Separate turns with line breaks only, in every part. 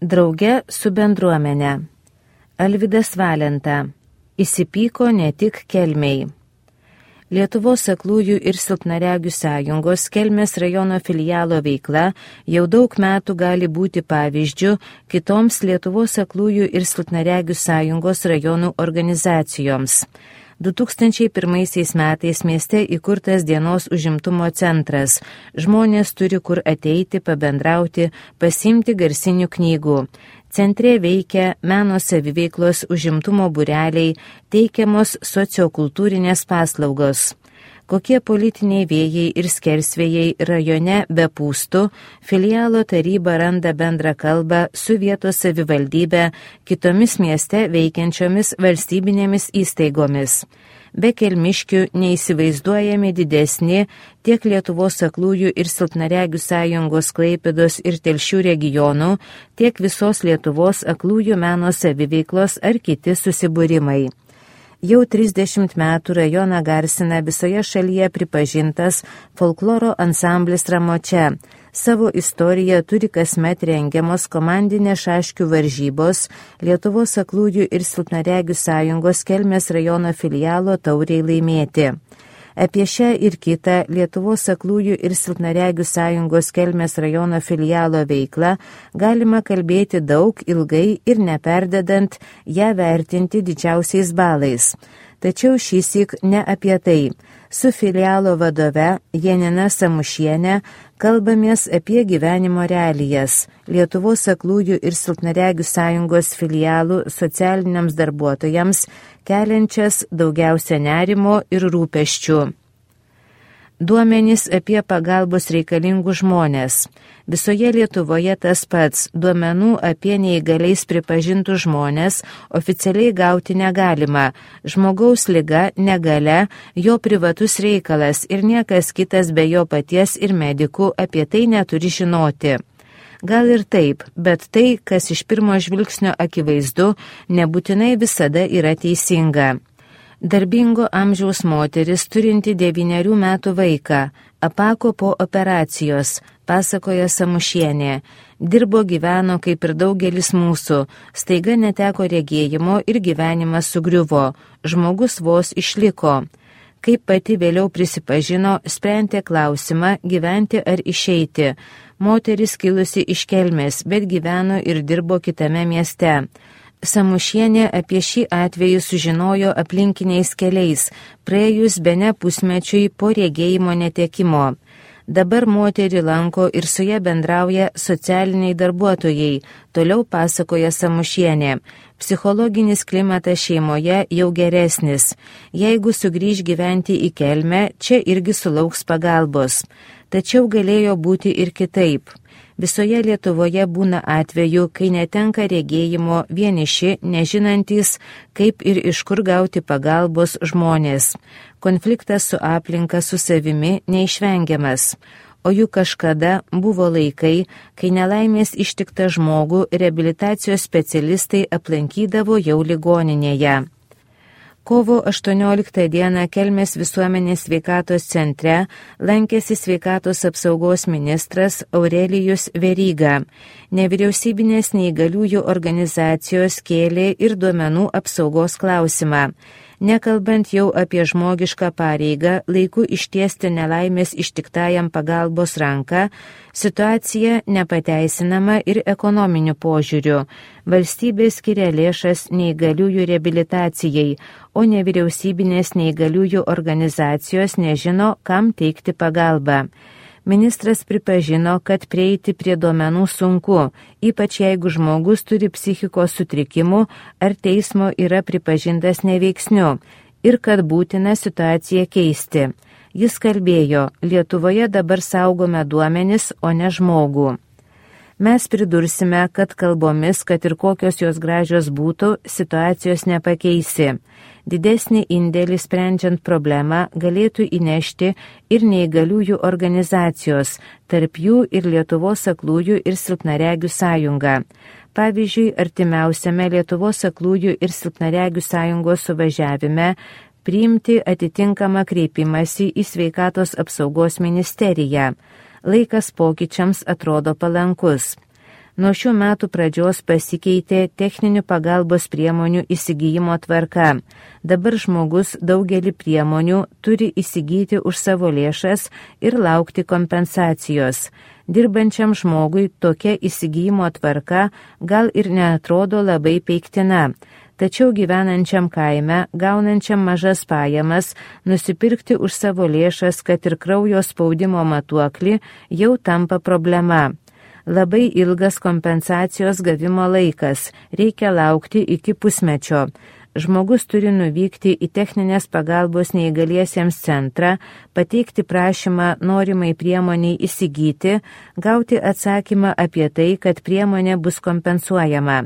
Drauge su bendruomenė. Alvydas Valenta. Įsipyko ne tik Kelmei. Lietuvos aklųjų ir silpnaregių sąjungos Kelmės rajono filialo veikla jau daug metų gali būti pavyzdžių kitoms Lietuvos aklųjų ir silpnaregių sąjungos rajonų organizacijoms. 2001 metais mieste įkurtas dienos užimtumo centras. Žmonės turi kur ateiti, pabendrauti, pasiimti garsinių knygų. Centre veikia meno saviveiklos užimtumo būreliai, teikiamos sociokultūrinės paslaugos. Kokie politiniai vėjai ir skersvėjai rajone bepūstų, filialo taryba randa bendrą kalbą su vietos savivaldybe, kitomis mieste veikiančiomis valstybinėmis įstaigomis. Be kelmiškių neįsivaizduojami didesni tiek Lietuvos aklųjų ir silpnaregių sąjungos Klaipėdos ir Telšių regionų, tiek visos Lietuvos aklųjų meno saviveiklos ar kiti susibūrimai. Jau 30 metų rajoną garsina visoje šalyje pripažintas folkloro ansamblis Ramočia. Savo istoriją turi kasmet rengiamos komandinės šaškių varžybos Lietuvos aklųjų ir silpnaregių sąjungos Kelmės rajono filialo tauriai laimėti. Apie šią ir kitą Lietuvos aklųjų ir silpnaregių sąjungos Kelmės rajono filialo veiklą galima kalbėti daug, ilgai ir neperdedant ją vertinti didžiausiais balais. Tačiau šįsyk ne apie tai. Su filialo vadove Janina Samušienė kalbamės apie gyvenimo realijas, Lietuvos aklųjų ir silpnaregių sąjungos filialų socialiniams darbuotojams keliančias daugiausia nerimo ir rūpesčių. Duomenys apie pagalbos reikalingų žmonės. Visoje Lietuvoje tas pats, duomenų apie neįgaliais pripažintų žmonės oficialiai gauti negalima. Žmogaus liga, negalia, jo privatus reikalas ir niekas kitas be jo paties ir medikų apie tai neturi žinoti. Gal ir taip, bet tai, kas iš pirmo žvilgsnio akivaizdu, nebūtinai visada yra teisinga. Darbingo amžiaus moteris turinti 9 metų vaiką, apako po operacijos, pasakoja Samušienė. Dirbo, gyveno kaip ir daugelis mūsų, staiga neteko regėjimo ir gyvenimas sugriuvo, žmogus vos išliko. Kaip pati vėliau prisipažino, sprendė klausimą gyventi ar išeiti. Moteris kilusi iš Kelmės, bet gyveno ir dirbo kitame mieste. Samušienė apie šį atvejį sužinojo aplinkiniais keliais, praėjus bene pusmečiui po regėjimo netekimo. Dabar moterį lanko ir su ja bendrauja socialiniai darbuotojai, toliau pasakoja Samušienė. Psichologinis klimatas šeimoje jau geresnis. Jeigu sugrįž gyventi į Kelmę, čia irgi sulauks pagalbos. Tačiau galėjo būti ir kitaip. Visoje Lietuvoje būna atvejų, kai netenka regėjimo vieniši, nežinantys, kaip ir iš kur gauti pagalbos žmonės. Konfliktas su aplinka, su savimi neišvengiamas. O juk kažkada buvo laikai, kai nelaimės ištiktą žmogų reabilitacijos specialistai aplankydavo jau ligoninėje. Kovo 18 dieną Kelmės visuomenės sveikatos centre lankėsi sveikatos apsaugos ministras Aurelijus Veryga. Nevyriausybinės neįgaliųjų organizacijos kėlė ir duomenų apsaugos klausimą. Nekalbant jau apie žmogišką pareigą laiku ištiesti nelaimės ištiktajam pagalbos ranką, situacija nepateisinama ir ekonominiu požiūriu. Valstybė skiria lėšas neįgaliųjų reabilitacijai, o nevyriausybinės neįgaliųjų organizacijos nežino, kam teikti pagalbą. Ministras pripažino, kad prieiti prie duomenų sunku, ypač jeigu žmogus turi psichikos sutrikimų ar teismo yra pripažintas neveiksniu, ir kad būtina situaciją keisti. Jis kalbėjo, Lietuvoje dabar saugome duomenis, o ne žmogų. Mes pridursime, kad kalbomis, kad ir kokios jos gražios būtų, situacijos nepakeisi. Didesnį indėlį sprendžiant problemą galėtų įnešti ir neįgaliųjų organizacijos, tarp jų ir Lietuvos aklųjų ir silpnaregių sąjunga. Pavyzdžiui, artimiausiame Lietuvos aklųjų ir silpnaregių sąjungos suvažiavime priimti atitinkamą kreipimąsi į sveikatos apsaugos ministeriją. Laikas pokyčiams atrodo palankus. Nuo šių metų pradžios pasikeitė techninių pagalbos priemonių įsigijimo tvarka. Dabar žmogus daugelį priemonių turi įsigyti už savo lėšas ir laukti kompensacijos. Dirbančiam žmogui tokia įsigijimo tvarka gal ir neatrodo labai peiktina. Tačiau gyvenančiam kaime, gaunančiam mažas pajamas, nusipirkti už savo lėšas, kad ir kraujo spaudimo matuoklį, jau tampa problema. Labai ilgas kompensacijos gavimo laikas, reikia laukti iki pusmečio. Žmogus turi nuvykti į techninės pagalbos neįgaliesiems centrą, pateikti prašymą norimai priemoniai įsigyti, gauti atsakymą apie tai, kad priemonė bus kompensuojama.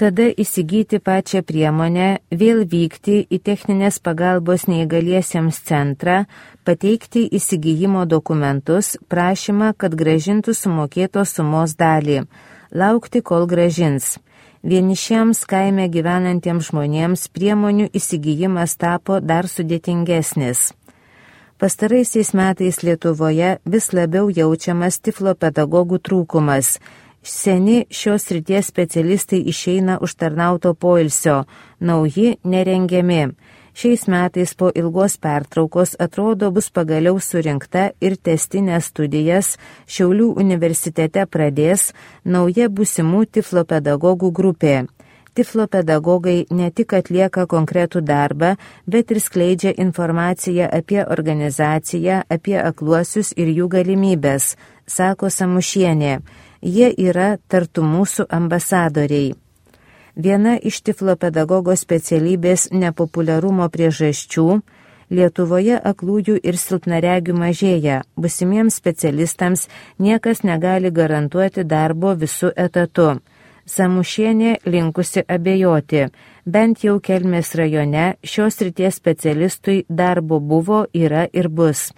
Tada įsigyti pačią priemonę, vėl vykti į techninės pagalbos neįgaliesiems centrą, pateikti įsigijimo dokumentus, prašymą, kad grąžintų sumokėtos sumos dalį, laukti, kol grąžins. Vienišiems kaime gyvenantiems žmonėms priemonių įsigijimas tapo dar sudėtingesnis. Pastaraisiais metais Lietuvoje vis labiau jaučiamas tiflopedagogų trūkumas. Seni šios srities specialistai išeina užtarnauto poilsio, nauji nerengiami. Šiais metais po ilgos pertraukos atrodo bus pagaliau surinkta ir testinės studijas Šiaulių universitete pradės nauja būsimų tiflopedagogų grupė. Tiflopedagogai ne tik atlieka konkretų darbą, bet ir skleidžia informaciją apie organizaciją, apie akluosius ir jų galimybės, sako Samušienė. Jie yra tartum mūsų ambasadoriai. Viena iš tiflopedagogo specialybės nepopuliarumo priežasčių – Lietuvoje aklųjų ir silpnaregių mažėja, būsimiems specialistams niekas negali garantuoti darbo visų etatu. Samušienė linkusi abejoti, bent jau Kelmės rajone šios srities specialistui darbo buvo, yra ir bus.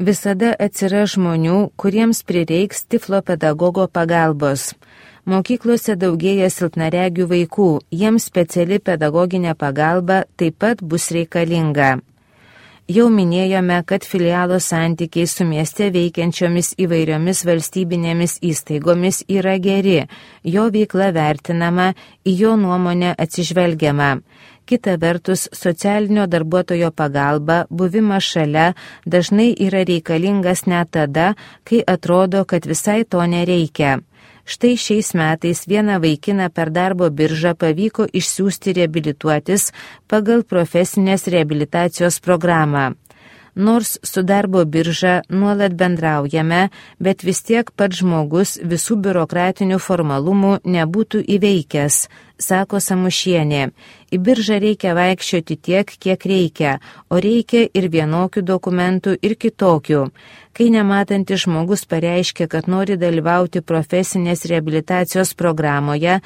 Visada atsiras žmonių, kuriems prireiks tiflopedagogo pagalbos. Mokyklose daugėja silpnaregių vaikų, jiems speciali pedagoginė pagalba taip pat bus reikalinga. Jau minėjome, kad filialo santykiai su mieste veikiančiomis įvairiomis valstybinėmis įstaigomis yra geri, jo veikla vertinama, į jo nuomonę atsižvelgiama. Kita vertus, socialinio darbuotojo pagalba, buvimas šalia dažnai yra reikalingas net tada, kai atrodo, kad visai to nereikia. Štai šiais metais vieną vaikiną per darbo biržą pavyko išsiųsti reabilituotis pagal profesinės reabilitacijos programą. Nors su darbo birža nuolat bendraujame, bet vis tiek pats žmogus visų biurokratinių formalumų nebūtų įveikęs, sako Samušienė. Į biržą reikia vaikščioti tiek, kiek reikia, o reikia ir vienokių dokumentų, ir kitokių. Kai nematantis žmogus pareiškia, kad nori dalyvauti profesinės reabilitacijos programoje,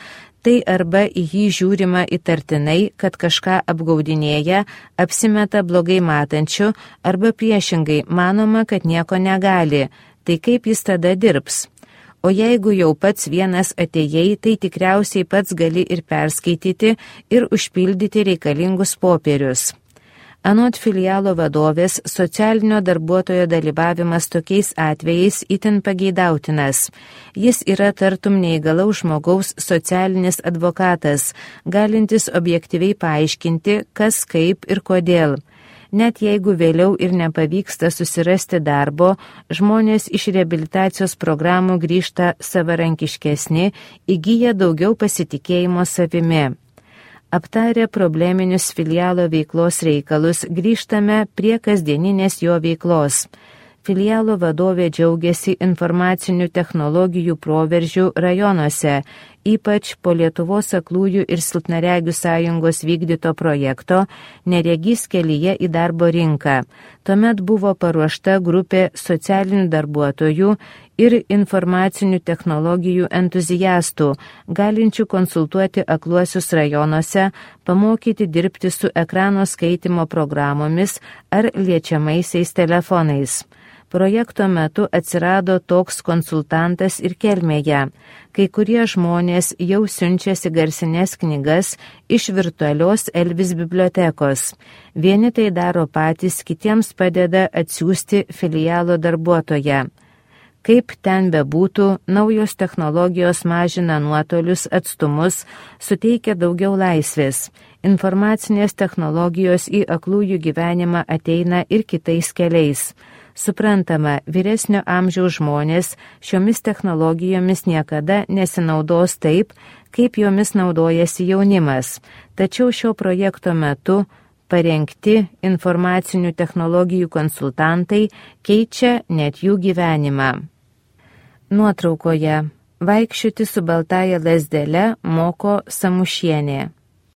tai arba į jį žiūrima įtartinai, kad kažką apgaudinėja, apsimeta blogai matančiu, arba priešingai manoma, kad nieko negali. Tai kaip jis tada dirbs? O jeigu jau pats vienas atėjai, tai tikriausiai pats gali ir perskaityti ir užpildyti reikalingus popierius. Anot filialo vadovės, socialinio darbuotojo dalyvavimas tokiais atvejais itin pageidautinas. Jis yra tartum neįgalaus žmogaus socialinis advokatas, galintis objektyviai paaiškinti, kas, kaip ir kodėl. Net jeigu vėliau ir nepavyksta susirasti darbo, žmonės iš reabilitacijos programų grįžta savarankiškesni, įgyja daugiau pasitikėjimo savimi. Aptarę probleminius filialo veiklos reikalus, grįžtame prie kasdieninės jo veiklos. Filialo vadovė džiaugiasi informacinių technologijų proveržių rajonuose, ypač po Lietuvos aklųjų ir silpnaregių sąjungos vykdyto projekto Neregys kelyje į darbo rinką. Tuomet buvo paruošta grupė socialinių darbuotojų ir informacinių technologijų entuziastų, galinčių konsultuoti akluosius rajonuose, pamokyti dirbti su ekrano skaitimo programomis ar liečiamaisiais telefonais. Projekto metu atsirado toks konsultantas ir Kelmėje. Kai kurie žmonės jau siunčiasi garsinės knygas iš virtualios Elvis bibliotekos. Vieni tai daro patys, kitiems padeda atsiųsti filialo darbuotoją. Kaip ten bebūtų, naujos technologijos mažina nuotolius, atstumus, suteikia daugiau laisvės. Informacinės technologijos į aklųjų gyvenimą ateina ir kitais keliais. Suprantama, vyresnio amžiaus žmonės šiomis technologijomis niekada nesinaudos taip, kaip jomis naudojasi jaunimas. Tačiau šio projekto metu parengti informacinių technologijų konsultantai keičia net jų gyvenimą. Nuotraukoje vaikščioti su baltaja lazdele moko Samušienė.